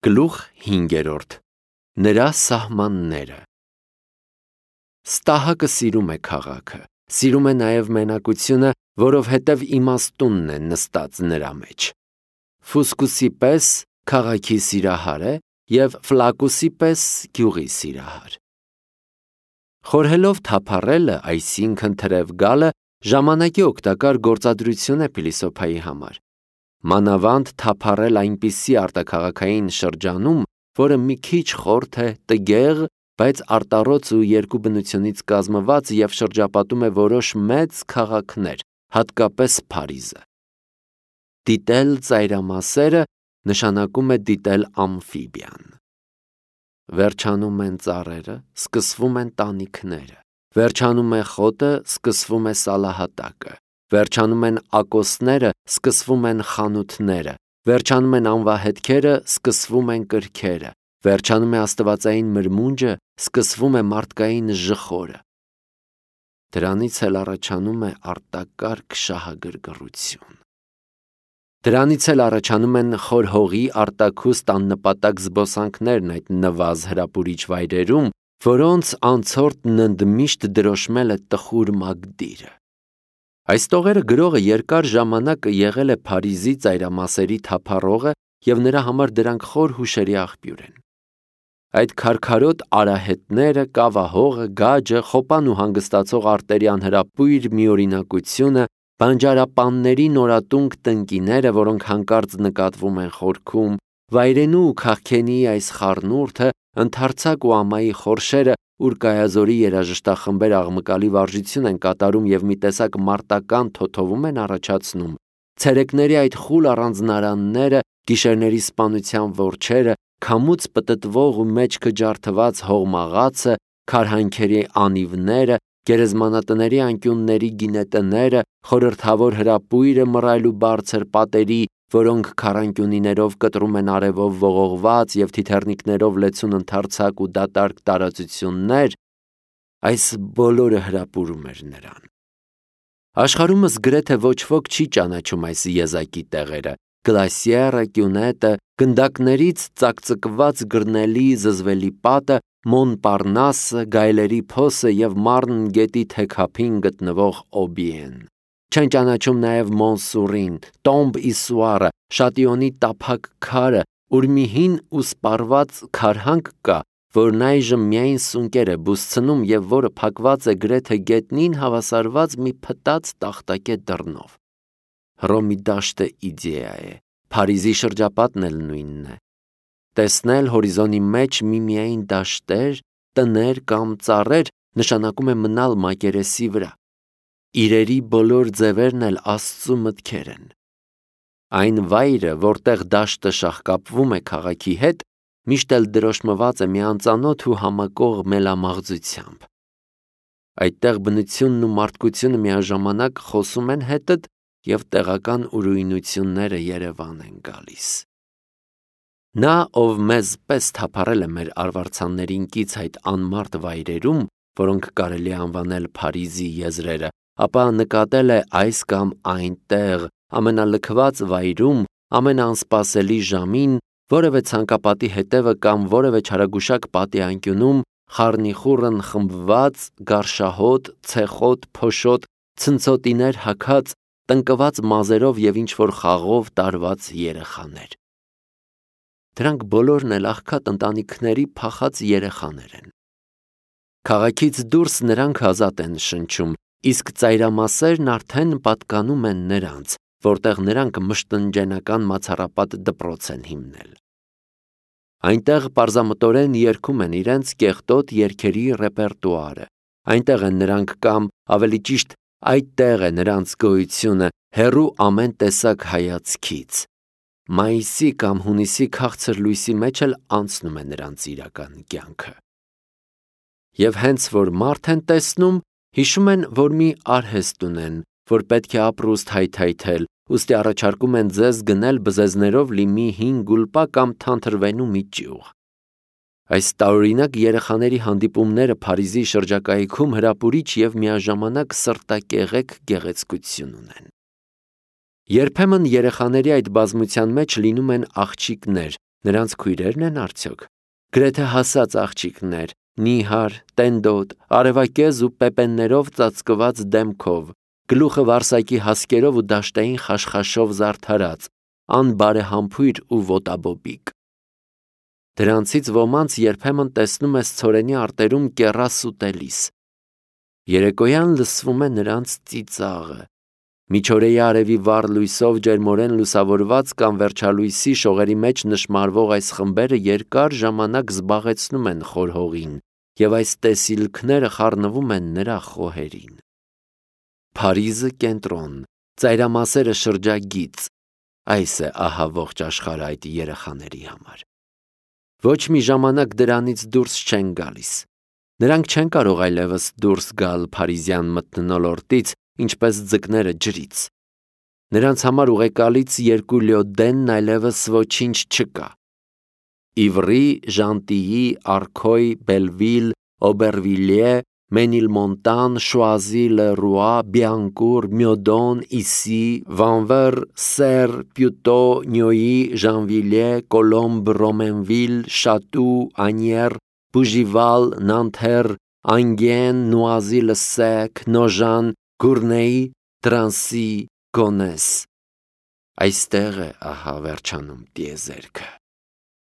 Գլուխ 5. Նրա սահմանները։ Ստահակը սիրում է քաղաքը, սիրում է նաև մենակությունը, որովհետև իմաստունն է նստած նրա մեջ։ Ֆուսկուսի պես քաղաքի սիրահար է և ֆլակուսի պես գյուղի սիրահար։ Խորհելով թափառելը, այսինքն թրև գալը, ժամանակի օգտակար գործադրություն է փիլիսոփայի համար։ Մանավանդ թափառել այնպիսի արտաքաղաքային շրջանում, որը մի քիչ խորթ է, տգեղ, բայց արտառոց ու երկու բնությունից կազմված և շրջապատում է որոշ մեծ քաղաքներ, հատկապես Փարիզը։ Դիտել ծայրամասերը նշանակում է դիտել ամֆիբիան։ Վերջանում են ծառերը, սկսվում են տանիքները, վերջանում է խոտը, սկսվում է սալահատակը, վերջանում են ակոսները, սկսվում են խանութները, վերջանում են անվահետքերը, սկսվում են կրքերը, վերջանում է աստվածային մրմունջը, սկսվում է մարդկային ժխորը։ Դրանից էլ առաջանում է արտակարգ շահագրգռություն։ Դրանից էլ առաջանում են խոր հողի արտաքուստ աննպատակ զբոսանքներն այդ նվազ հրապուրիչ վայրերում, որոնց անցորդն ընդմիշտ դրոշմել է տխուր մագդիրը։ Այս տողերը գրողը երկար ժամանակ եղել է Փարիզի ծայրամասերի թափառողը և նրա համար դրանք խոր հուշերի աղբյուր են։ Այդ քարքարոտ արահետները, կավահողը, գաջը, խոպան ու հանգստացող արտերի անհրապույր միօրինակությունը, բանջարապանների նորատունկ տնկիները, որոնք հանկարծ նկատվում են խորքում, վայրենու ու քաղքենիի այս խառնուրդը, ընդարձակ ու ամայի խորշերը, ուր կայազորի երաժշտախմբեր աղմկալի վարժություն են կատարում և մի տեսակ մարտական թոթովում են առաջացնում, ցերեկների այդ խուլ առանձնարանները, գիշերների սպանության որջերը, քամուց պտտվող ու մեջքը ջարդված հողմաղացը, քարհանքերի անիվները, գերեզմանատների անկյունների գինետները, խորհրդավոր հրապույրը մռայլ ու բարձր պատերի, որոնք քառանկյունիներով կտրում են արևով ողողված և թիթեռնիկներով լեցուն ընդարձակ ու դատարկ տարածություններ, այս բոլորը հրապուրում էր նրան։ Աշխարհումս գրեթե ոչ ոք չի ճանաչում այս եզակի տեղերը՝ Գլասիերը, Կյունետը, գնդակներից ծակծկված գրնելի զզվելի պատը, Մոնպարնասը, գայլերի փոսը և Մարն գետի թեքափին գտնվող Օբիեն։ Չեն ճանաչում նաև Մոնսուրին, Տոմբ Իսուարը, Շատիոնի տափակ քարը, ուր մի հին ու սպառված քարհանք կա, որն այժմ միայն սունկեր է բուսցնում և որը փակված է գրեթե գետնին հավասարված մի փտած տախտակե դռնով։ Հռոմի դաշտը իդեա է, Փարիզի շրջապատն էլ նույնն է։ Տեսնել հորիզոնի մեջ միմիայն դաշտեր, տներ կամ ծառեր նշանակում է մնալ մակերեսի վրա։ Իրերի բոլոր ձևերն էլ Աստծու մտքեր են։ Այն վայրը, որտեղ դաշտը շաղկապվում է քաղաքի հետ, միշտ էլ դրոշմված է մի անծանոթ ու համակող մելամաղձությամբ։ Այդտեղ բնությունն ու մարդկությունը միաժամանակ խոսում են հետդ և տեղական ուրույնությունները երևան են գալիս։ Նա, ով մեզ պես թափառել է մեր արվարձաններին կից այդ անմարդ վայրերում, որոնք կարելի է անվանել Փարիզի եզրերը, ապա նկատել է այս կամ այնտեղ, ամենալքված վայրում, ամենաանսպասելի ժամին, որևէ ցանկապատի հետևը կամ որևէ չարագուշակ պատի անկյունում խառնիխուռն խմբված, գարշահոտ, ցեխոտ, փոշոտ, ցնցոտիներ հագած, տնկված մազերով և ինչ-որ խաղով տարված երեխաներ։ Դրանք բոլորն էլ աղքատ ընտանիքների փախած երեխաներ են։ Քաղաքից դուրս նրանք ազատ են շնչում, իսկ ծայրամասերն արդեն պատկանում են նրանց, որտեղ նրանք մշտնջենական մացառապատ դպրոց են հիմնել։ Այնտեղ պարզամտորեն երգում են իրենց կեղտոտ երգերի ռեպերտուարը, այնտեղ են նրանք կամ, ավելի ճիշտ, այդտեղ է նրանց գոյությունը, հեռու ամեն տեսակ հայացքից։ Մայիսի կամ հունիսի քաղցր լույսի մեջ էլ անցնում է նրանց իրական կյանքը։ Եվ հենց որ մարդ են տեսնում, հիշում են, որ մի արհեստ ունեն, որ պետք է ապրուստ հայթայթել, ուստի առաջարկում են ձեզ գնել բզեզներով լի մի հին գուլպա կամ թանթրվենու մի ճյուղ։ Այս տարօրինակ երեխաների հանդիպումները Փարիզի շրջակայքում հրապուրիչ և միաժամանակ սրտակեղեք գեղեցկություն ունեն։ Երբեմն երեխաների այդ բազմության մեջ լինում են աղջիկներ, Նրանց քույրերն են արդյոք։ Գրեթե հասած աղջիկներ, նիհար, տենդոտ, արևակեզ ու պեպեններով ծածկված դեմքով, գլուխը վարսակի հասկերով ու դաշտային խաշխաշով զարդարած, անբարեհամբույր ու ոտաբոբիկ։ Դրանցից ոմանց երբեմն տեսնում ես ցորենի արտերում կեռաս ուտելիս։ Երեկոյան լսվում է նրանց ծիծաղը։ Միջօրեի արևի վառ լույսով ջերմորեն լուսավորված կամ վերջալույսի շողերի մեջ նշմարվող այս խմբերը երկար ժամանակ զբաղեցնում են խոր հողին, և այս տեսիլքները խառնվում են նրա խոհերին։ Փարիզը կենտրոն, ծայրամասերը շրջագիծ, այս է ահա ողջ աշխարհը այդ երեխաների համար։ Ոչ մի ժամանակ դրանից դուրս չեն գալիս։ Նրանք չեն կարող այլևս դուրս գալ փարիզյան մթնոլորտից, ինչպես ձկները ջրից։ Նրանց համար ուղեկալից երկու լյոդենն այլևս ոչինչ չկա։ Իվրի, Ժանտիի, Արքոյ, Բելվիլ, Օբերվիլիե, Մենիլմոնտան, Շուազի, Լերուա, Բիանկուր, Մյոդոն, Իսի, Վանվեր, Սեր, Պյուտո, Նյոյի, Ժանվիլիե, Կոլոմբ, Ռոմենվիլ, Շատու, Անյեր, Բուժիվալ, Նանթեր, Անգեն, Նուազի-լը-Սեք, Նոժան, Գուրնեի, Տրանսի, Գոնես։ Այստեղ է ահա վերջանում տիեզերքը։